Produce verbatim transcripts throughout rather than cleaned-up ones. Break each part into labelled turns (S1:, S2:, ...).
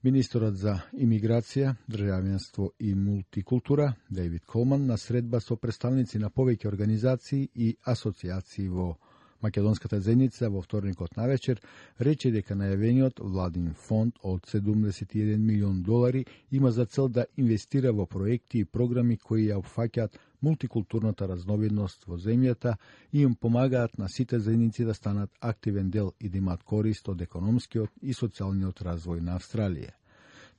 S1: Министерот за имиграција, државјанство и мултикултура Дејвид Колман на средба со представници на повеќе организации и асоциации во македонската заедница во вторникот навечер рече дека најавениот владин фонд од седумдесет и еден милион долари има за цел да инвестира во проекти и програми кои ја опфаќаат мултикултурната разновидност во земјата и им помагаат на сите заедници да станат активен дел и да имаат корист од економскиот и социјалниот развој на Австралија.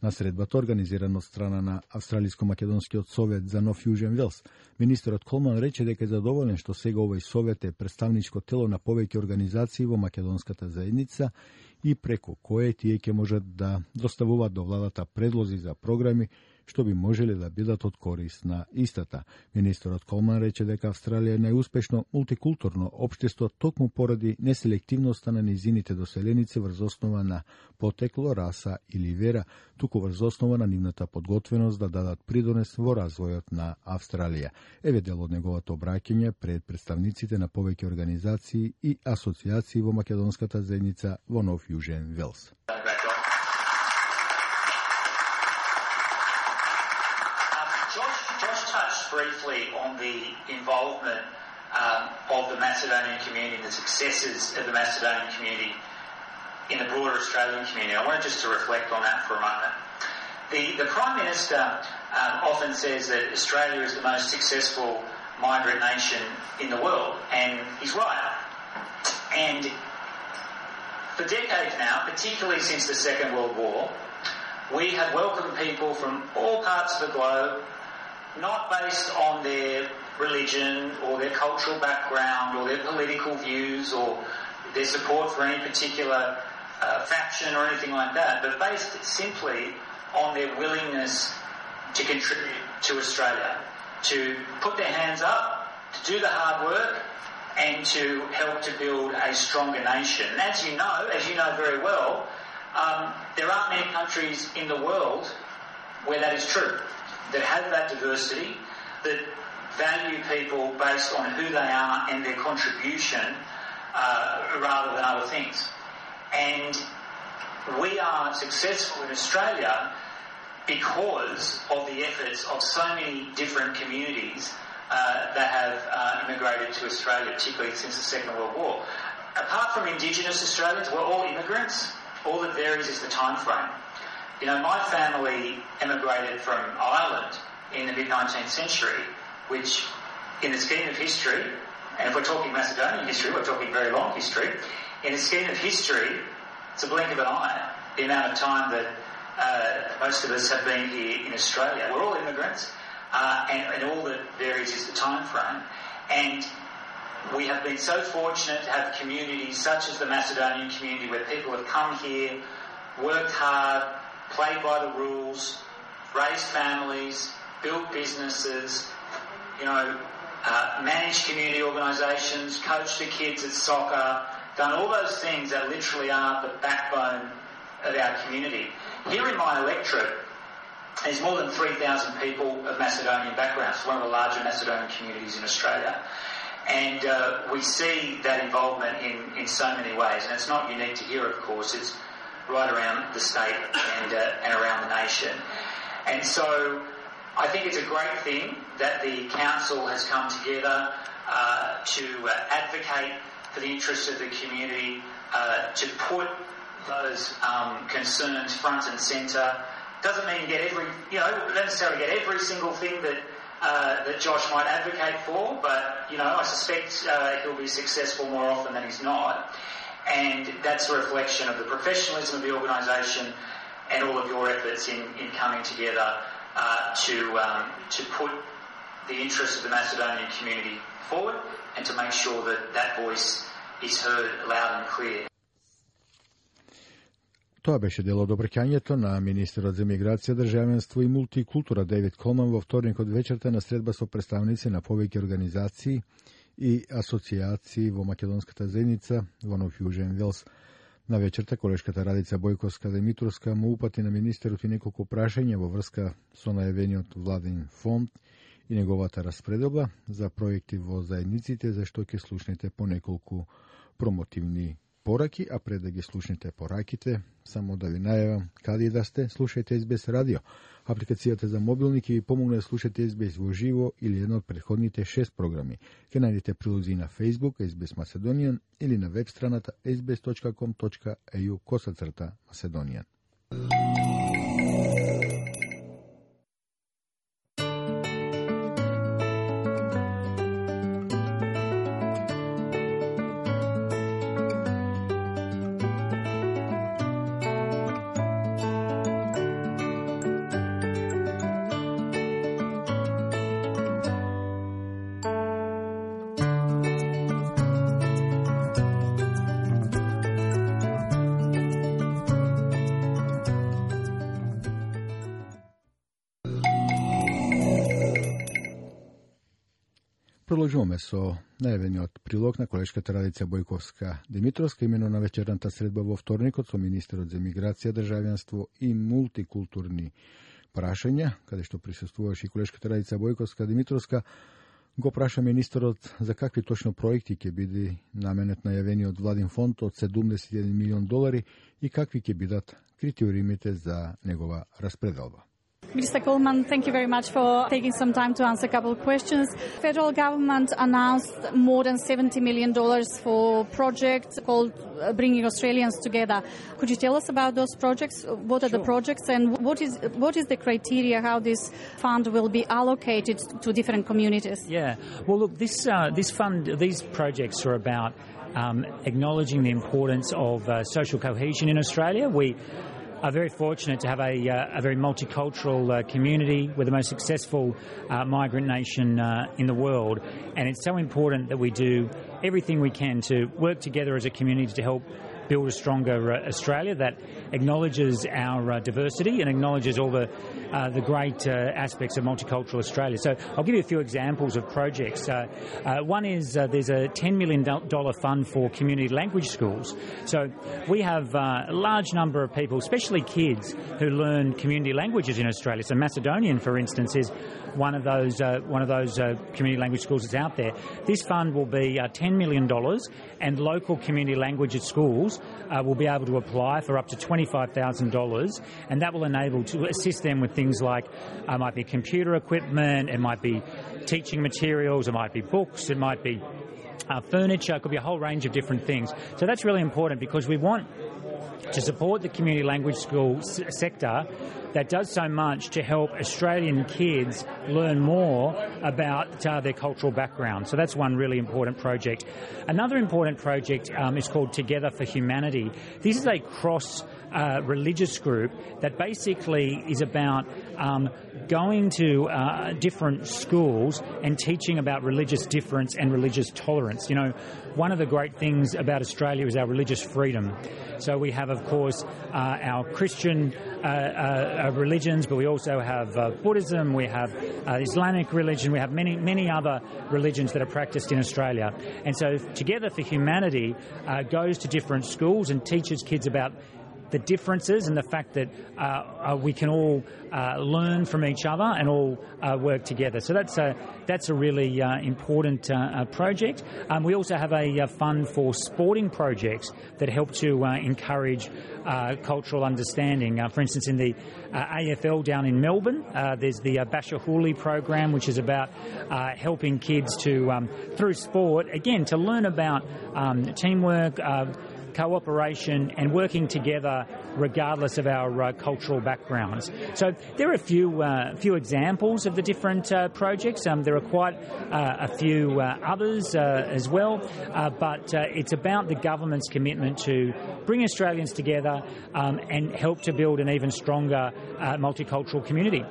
S1: На средбата, организирана од страна на Австралиско-македонскиот совет за Нов Јужен Велс, министерот Колман рече дека е задоволен што сега овој совет е представничко тело на повеќе организации во македонската заедница и преку кое тие ќе можат да доставуваат до владата предлози за програми што би можеле да бидат од корист на истата. Министерот Колман рече дека Австралија е најуспешно мултикултурно општество токму поради неселективноста на низините доселеници врз основа на потекло, раса или вера, туку врз основа на нивната подготвеност да дадат придонес во развојот на Австралија. Еве дел од неговото обраќање пред представниците на повеќе организации и асоциации во македонската заедница во Нов Јужен Велс.
S2: Briefly on the involvement um, of the Macedonian community and the successes of the Macedonian community in the broader Australian community. I wanted just to reflect on that for a moment. The, the Prime Minister um, often says that Australia is the most successful migrant nation in the world, and he's right. And for decades now, particularly since the Second World War, we have welcomed people from all parts of the globe, not based on their religion or their cultural background or their political views or their support for any particular uh, faction or anything like that, but based simply on their willingness to contribute to Australia, to put their hands up, to do the hard work, and to help to build a stronger nation. And as you know, as you know very well, um, there aren't many countries in the world where that is true, that have that diversity, that value people based on who they are and their contribution uh, rather than other things. And we are successful in Australia because of the efforts of so many different communities uh, that have uh, immigrated to Australia, particularly since the Second World War. Apart from Indigenous Australians, we're all immigrants. All that varies is the time frame. You know, my family emigrated from Ireland in the mid-nineteenth century, which in the scheme of history, and if we're talking Macedonian history, we're talking very long history, in the scheme of history, it's a blink of an eye, the amount of time that uh, most of us have been here in Australia. We're all immigrants, uh, and, and all that varies is the time frame. And we have been so fortunate to have communities such as the Macedonian community where people have come here, worked hard, played by the rules, raised families, built businesses, you know, uh, managed community organisations, coached the kids at soccer, done all those things that literally are the backbone of our community. Here in my electorate, there's more than three thousand people of Macedonian background. It's one of the larger Macedonian communities in Australia. And uh, we see that involvement in, in so many ways. And it's not unique to here, of course. It's right around the state and, uh, and around the nation. And so I think it's a great thing that the Council has come together uh, to uh, advocate for the interests of the community, uh, to put those um, concerns front and centre. Doesn't mean you get every, you know, don't necessarily get every single thing that uh, that Josh might advocate for, but, you know, I suspect uh, he'll be successful more often than he's not. And that's a reflection of the professionalism of the organisation and all of your efforts in, in coming together uh, to um, to put the interests of the Macedonian community forward and to make sure that that voice is heard loud and clear.
S1: Тоа беше дел од обраќањето на министерот за миграција, државенство и мултикултура Дејвид Колман во вторникот вечерта на средба со представници на повеќе организации и асоциации во македонската заедница во Нов Јужен Велс. На вечерта колешката Радица Бојковска-Димитровска му упати на министерот и неколку прашања во врска со најавениот владин фонд и неговата распределба за проекти во заедниците, за што ќе слушнете по неколку промотивни пораки, а пред да ги слушнете пораките, само да ви најавам каде да сте, слушајте Ес Би Ес радио. Апликацијата за мобилни ќе ви помогне да слушате Ес Би Ес во живо или едно од претходните шест програми. Ке најдете прилози на Facebook Ес Би Ес Macedonian или на веб страната ес би ес точка ком точка е ю косацрта Macedonian. Продолжуваме со најавениот прилог на колешката Радица Бојковска-Димитровска, имено на вечерната средба во вторникот со министерот за миграција, државјанство и мултикултурни прашања, каде што присуствуваше и колешката Радица Бојковска-Димитровска. Го праша министерот за какви точно проекти ќе биде наменет најавениот владин фонд од седумдесет и еден милион долари и какви ќе бидат критериумите за негова распределба.
S3: Minister Coleman, thank you very much for taking some time to answer a couple of questions. Federal government announced more than seventy million dollars for projects called uh, Bringing Australians Together. Could you tell us about those projects? What are sure. the projects and what is what is the criteria how this fund will be allocated to different communities?
S4: Yeah, well, look, this uh, this fund, these projects are about um, acknowledging the importance of uh, social cohesion in Australia. We are very fortunate to have a, uh, a very multicultural uh, community. We're the most successful uh, migrant nation uh, in the world, and it's so important that we do everything we can to work together as a community to help build a stronger uh, Australia that acknowledges our uh, diversity and acknowledges all the uh, the great uh, aspects of multicultural Australia. So I'll give you a few examples of projects. Uh, uh, one is uh, there's a ten million dollars fund for community language schools. So we have uh, a large number of people, especially kids, who learn community languages in Australia. So Macedonian, for instance, is one of those uh, one of those uh, community language schools that's out there. This fund will be uh, ten million dollars, and local community language schools uh, will be able to apply for up to twenty-five thousand dollars, and that will enable to assist them with things like uh, might be computer equipment, it might be teaching materials, it might be books, it might be uh, furniture, it could be a whole range of different things. So that's really important because we want to support the community language school s- sector that does so much to help Australian kids learn more about uh, their cultural background. So that's one really important project. Another important project um, is called Together for Humanity. This is a cross uh, religious group that basically is about um, going to uh, different schools and teaching about religious difference and religious tolerance. You know, one of the great things about Australia is our religious freedom. So we have, of course, uh, our Christian uh, uh, religions, but we also have uh, Buddhism, we have uh, Islamic religion, we have many, many other religions that are practiced in Australia. And so Together for Humanity uh, goes to different schools and teaches kids about the differences and the fact that uh, uh, we can all uh, learn from each other and all uh, work together. So that's a, that's a really uh, important uh, uh, project. Um, we also have a, a fund for sporting projects that help to uh, encourage uh, cultural understanding. Uh, for instance, in the uh, A F L down in Melbourne, uh, there's the uh, Bashahuli program, which is about uh, helping kids to, um, through sport, again, to learn about um, teamwork, uh, cooperation and working together regardless of our uh, cultural backgrounds. So there are a few uh, few examples of the different uh, projects. Um, there are quite uh, a few uh, others uh, as well, uh, but uh, it's about the government's commitment to bring Australians together um, and help to build an even stronger uh, multicultural community.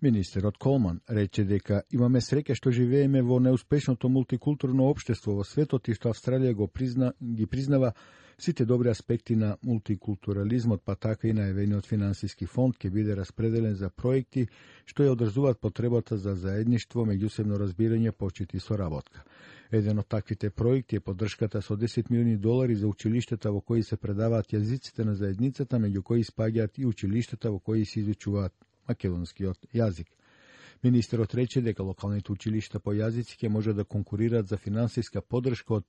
S1: Министерот Колман рече дека имаме среќа што живееме во неуспешното мултикултурно општество во светот и што Австралија го призна, ги признава сите добри аспекти на мултикултурализмот, па така и најавениот финансиски фонд ќе биде распределен за проекти што ја одржуваат потребата за заедништво, меѓусебно разбирање, почит и соработка. Еден од таквите проекти е поддршката со десет милиони долари за училиштата во кои се предаваат јазиците на заедницата, меѓу кои спаѓаат и училиштата во кои се изучуваат македонскиот јазик. Министерот рече дека локалните училишта по јазици ќе може да конкурираат за финансиска поддршка од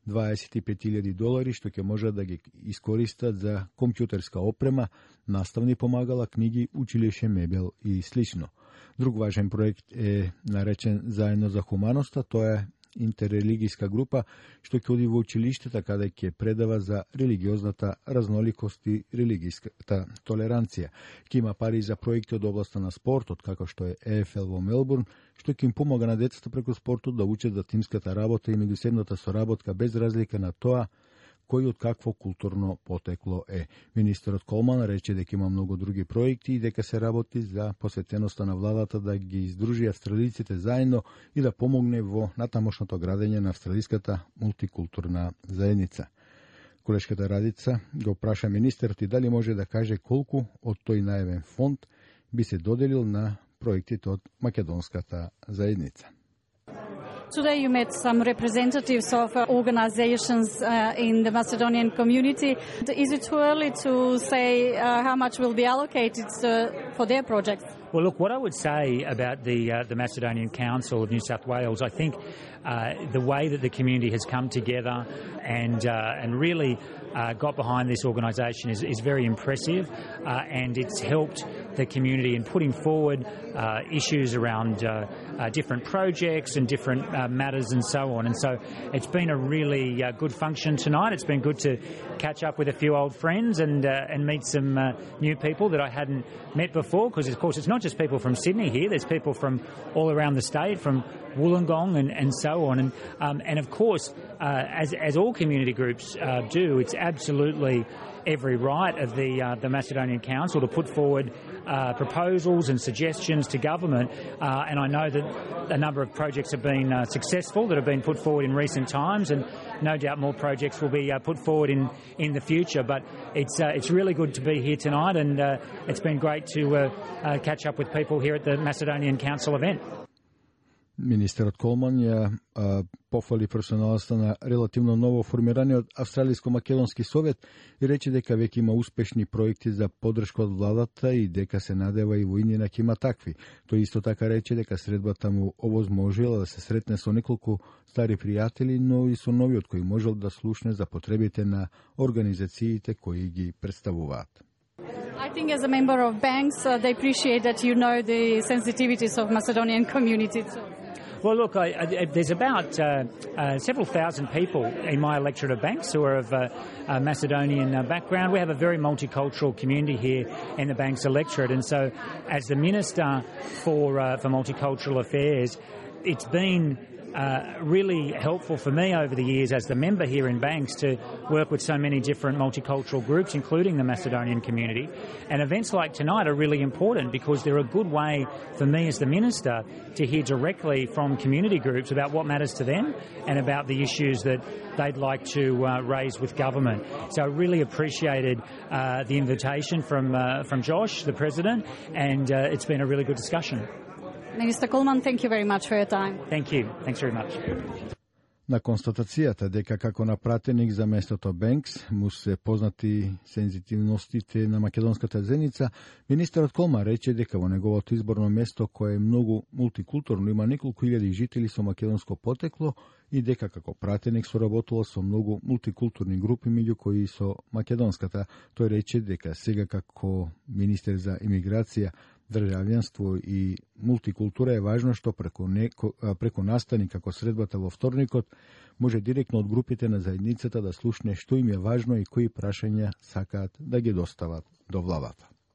S1: дваесет и пет илјади долари, што ќе може да ги искористат за компјутерска опрема, наставни помагала, книги, училище, мебел и слично. Друг важен проект е наречен Заедно за хуманоста, тоа е интеррелигијска група што ќе оди во училиштата каде ќе предава за религиозната разноликост и религијската толеранција. Ќе има пари за проекти од областа на спортот, како што е Е Ф Л во Мелбурн, што ќе им помага на децата преку спортот да учат за тимската работа и меѓусебната соработка без разлика на тоа кој од какво културно потекло е. Министерот Колман рече дека има многу други проекти и дека се работи за посветеноста на владата да ги издружи австралиците заедно и да помогне во натамошното градење на австралиската мултикултурна заедница. Колешката Радица го праша министерот и дали може да каже колку од тој најавен фонд би се доделил на проектите од македонската заедница.
S3: Today you met some representatives of uh, organizations uh, in the Macedonian community. Is it too early to say uh, how much will be allocated uh, for their projects?
S4: Well, look, what I would say about the uh, the Macedonian Council of New South Wales, I think uh, the way that the community has come together and uh, and really uh, got behind this organisation is, is very impressive, uh, and it's helped the community in putting forward uh, issues around uh, uh, different projects and different uh, matters and so on. And so it's been a really uh, good function tonight. It's been good to catch up with a few old friends and uh, and meet some uh, new people that I hadn't met before, because of course it's not just people from Sydney here, there's people from all around the state, from Wollongong and, and so on. And um, and of course, uh, as, as all community groups uh, do, it's absolutely every right of the uh, the Macedonian Council to put forward uh, proposals and suggestions to government, uh, and I know that a number of projects have been uh, successful that have been put forward in recent times, and no doubt more projects will be uh, put forward in, in the future. But it's uh, it's really good to be here tonight, and uh, it's been great to uh, uh, catch up with people here at the Macedonian Council event.
S1: Министерот Колман ја а, пофали професионалноста на релативно ново формираниот Австралиско-македонски совет и рече дека веќе има успешни проекти за поддршка од владата и дека се надева и во иднина ќе има такви. Тој исто така рече дека средбата му овозможила да се сретне со неколку стари пријатели, но и со новиот кој можел да слушне за потребите на организациите кои ги представуваат.
S3: I think as a member of Banks, uh, they appreciate that you know the sensitivities of Macedonian community.
S4: Well, look, I, I, there's about uh, uh, several thousand people in my electorate of Banks who are of uh, uh, Macedonian uh, background. We have a very multicultural community here in the Banks electorate, and so as the Minister for, uh, for Multicultural Affairs, it's been Uh, really helpful for me over the years as the member here in Banks to work with so many different multicultural groups, including the Macedonian community. And events like tonight are really important because they're a good way for me as the Minister to hear directly from community groups about what matters to them and about the issues that they'd like to uh, raise with government. So I really appreciated uh, the invitation from, uh, from Josh, the President, and uh, it's been a really good discussion.
S3: Minister Coleman, thank you very much for your time.
S4: Thank you. Thanks very much.
S1: На констатацијата дека како напратеник за местото Бенкс му се познати сензитивностите на македонската заедница, министерот Колман рече дека во неговото изборно место, кое е многу мултикултурно, има неколку илјади жители со македонско потекло и дека како пратеник соработува со многу мултикултурни групи, меѓу кои со македонската. Тој рече дека сега како министер за имиграција, државјанство и мултикултура е важно што преку, неко, преку настани како средбата во вторникот може директно од групите на заедницата да слушне што им е важно и кои прашања сакаат да ги достават до владата.